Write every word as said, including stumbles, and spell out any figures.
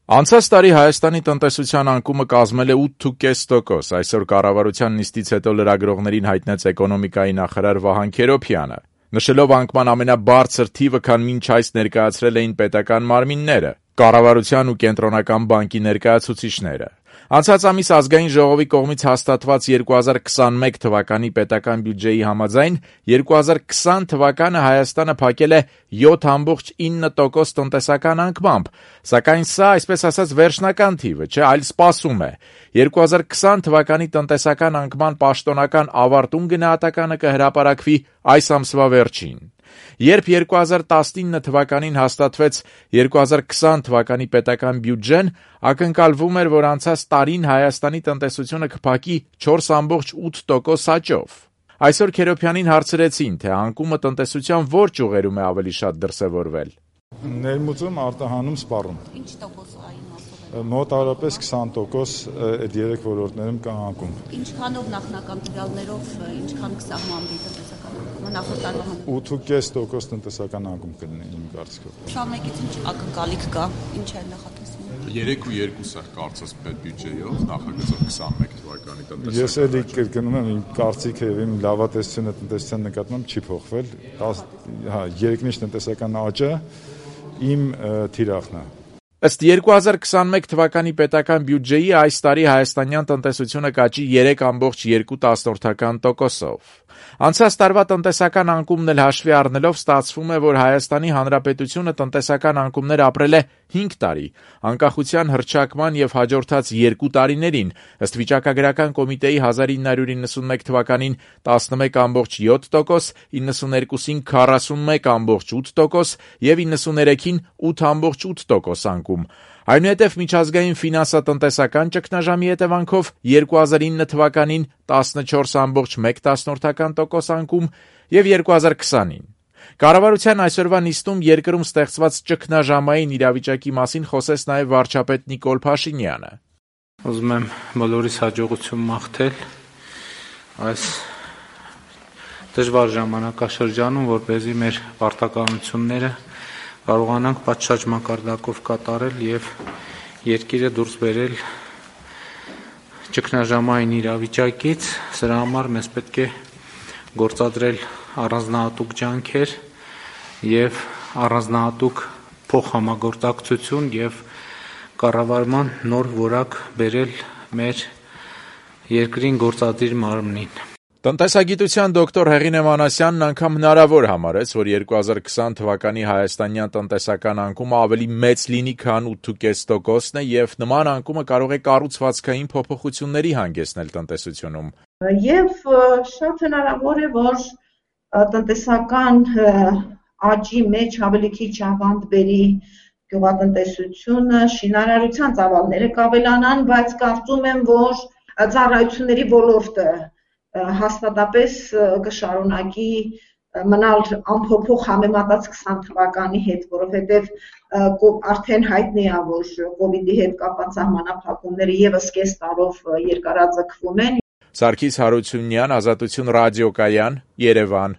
Անցած տարի Հայաստանի տնտեսության անկումը կազմել է ութ կես տոկոս, այսօր կառավարության նիստից հետո լրագրողներին հայտնեց էկոնոմիկայի նախարար Վահան Քերոբյանը, նշելով անկման ամենաբարձր թիվը, քան մինչ այս ներկայացրել էին պետական մարմինները, կառավարության ու կենտրոնական բանկի ներկայացուցիչները։ Անցած ամիս Ազգային ժողովի կողմից հաստատված երկու հազար քսանմեկ թվականի պետական բյուջեի համաձայն երկու հազար քսան թվականը Հայաստանը փակել է յոթ կoma ինը տոկոս տնտեսական անկմամբ, սակայն սա, այսպես ասած, վերջնական թիվը չէ, այլ սպասում է։ երկու հազար քսան թվականի տնտեսական անկման պաշտոնական ավարտուն գնահատականը կհրապարակվի այս ամսվա վերջին։ Երբ երկու հազար տասնինը թվականին հաստատվեց երկու հազար քսան թվականի պետական բյուջեն, ակնկալվում էր, որ անցած տարին Հայաստանի տնտեսությունը կփակի չորս կoma ութ տոկոս աճով։ Այսօր Քերոբյանին հարցրեցին, թե անկումը տնտեսության որ ճյուղերում է ավելի շատ դրսևորվել։ Ներմուծում, արտահանում, սպառում։ Ինչ տոկոս այն մասով է։ Մոտավորապես քսան տոկոս այդ երեք ոլորտներում կա անկում։ Ինչքանով նախնական տվյալներով, ինչքան կսահմանվի տնտեսական անկումը նախորդ տարվա համեմատ։ ութ կես տոկոս տնտեսական անկում կլինի իմ կարծիքով։ քսանմեկից ինչ ակնկալիք կա, ինչ է նախատեսվում։ երեք ու երկու սեր կարծես պետբյուջեով նախագծով քսանմեկ թվականի տնտեսական։ Ես էլի կրկնում եմ, իմ կարծիքը եւ իմ լավատեսությունը տնտեսության նկատմամբ չի փոխվել։ Հա, երկնիշ տնտեսական աճը իմ թիրախն է։ Ըստ երկու հազար քսանմեկ թվականի պետական բյուջեի այս տարի հայաստանյան տնտեսությունը կաճի երեք կoma երկու տոկոսով։ Անցած տարվա տնտեսական անկումն էլ հաշվի առնելով ստացվում է, որ Հայաստանի Հանրապետությունը տնտեսական անկումներ ապրել է հինգ տարի, անկախության հռչակման եւ հաջորդած երկու տարիներին, ըստ վիճակագրական կոմիտեի հազար ինը հարյուր իննսունմեկ թվականին տասնմեկ կoma յոթ տոկոս, իննսուներկուսին քառասունմեկ կoma ութ տոկոս եւ իննսուներեքին ութ կoma ութ տոկոս անկում։ Այնուհետև միջազգային ֆինանսատնտեսական ճգնաժամի հետևանքով երկու հազար ինը թվականին տասնչորս կoma մեկ տոկոս անկում եւ երկու հազար քսանին։ Կառավարության այսօրվա նիստում երկրում ստեղծված ճգնաժամային իրավիճակի մասին խոսեց նաեւ վարչապետ Նիկոլ Փաշինյանը։ Ուզում եմ բոլորիս հաջողություն մաղթել այս դժվար ժամանակաշրջանում, որպեսզի մեր պարտականությունները կարողանանք պատշաճ մակարդակով կատարել եւ երկիրը դուրս բերել ճգնաժամային իրավիճակից։ Սրա համար մեզ պետք է գործադրել առանձնահատուկ ջանքեր եւ առանձնահատուկ փոխհամագործակցություն եւ կառավարման նոր որակ բերել մեր երկրին գործադիր մարմնին։ Տնտեսագիտության դոկտոր Հեղինե Մանասյանն անգամ հնարավոր համարեց, որ երկու հազար քսան թվականի հայաստանյան տնտեսական անկումը ավելի մեծ լինի, քան ութ կես տոկոսն է, եւ նման անկումը կարող է կառուցվածքային փոփոխությունների հանգեցնել տնտեսությունում։ Եվ շատ հնարավոր է, որ տնտեսական աճի մեջ ավելի քիչ ավանդ բերի գյուղատնտեսությունը, շինարարության ծավալները կավելանան, բայց կարծում եմ, որ ծառայությունների ոլորտը հաստատապես կշարունակի մնալ անփոփոխ համեմատած քսան թվականի հետ, որովհետև արդեն հայտնի է, որ կովիդի հետ կապված սահմանափակումները եւս կես տարով երկարաձգվում են։ Սարգիս Հարությունյան, Ազատություն ռադիոկայան, Երևան։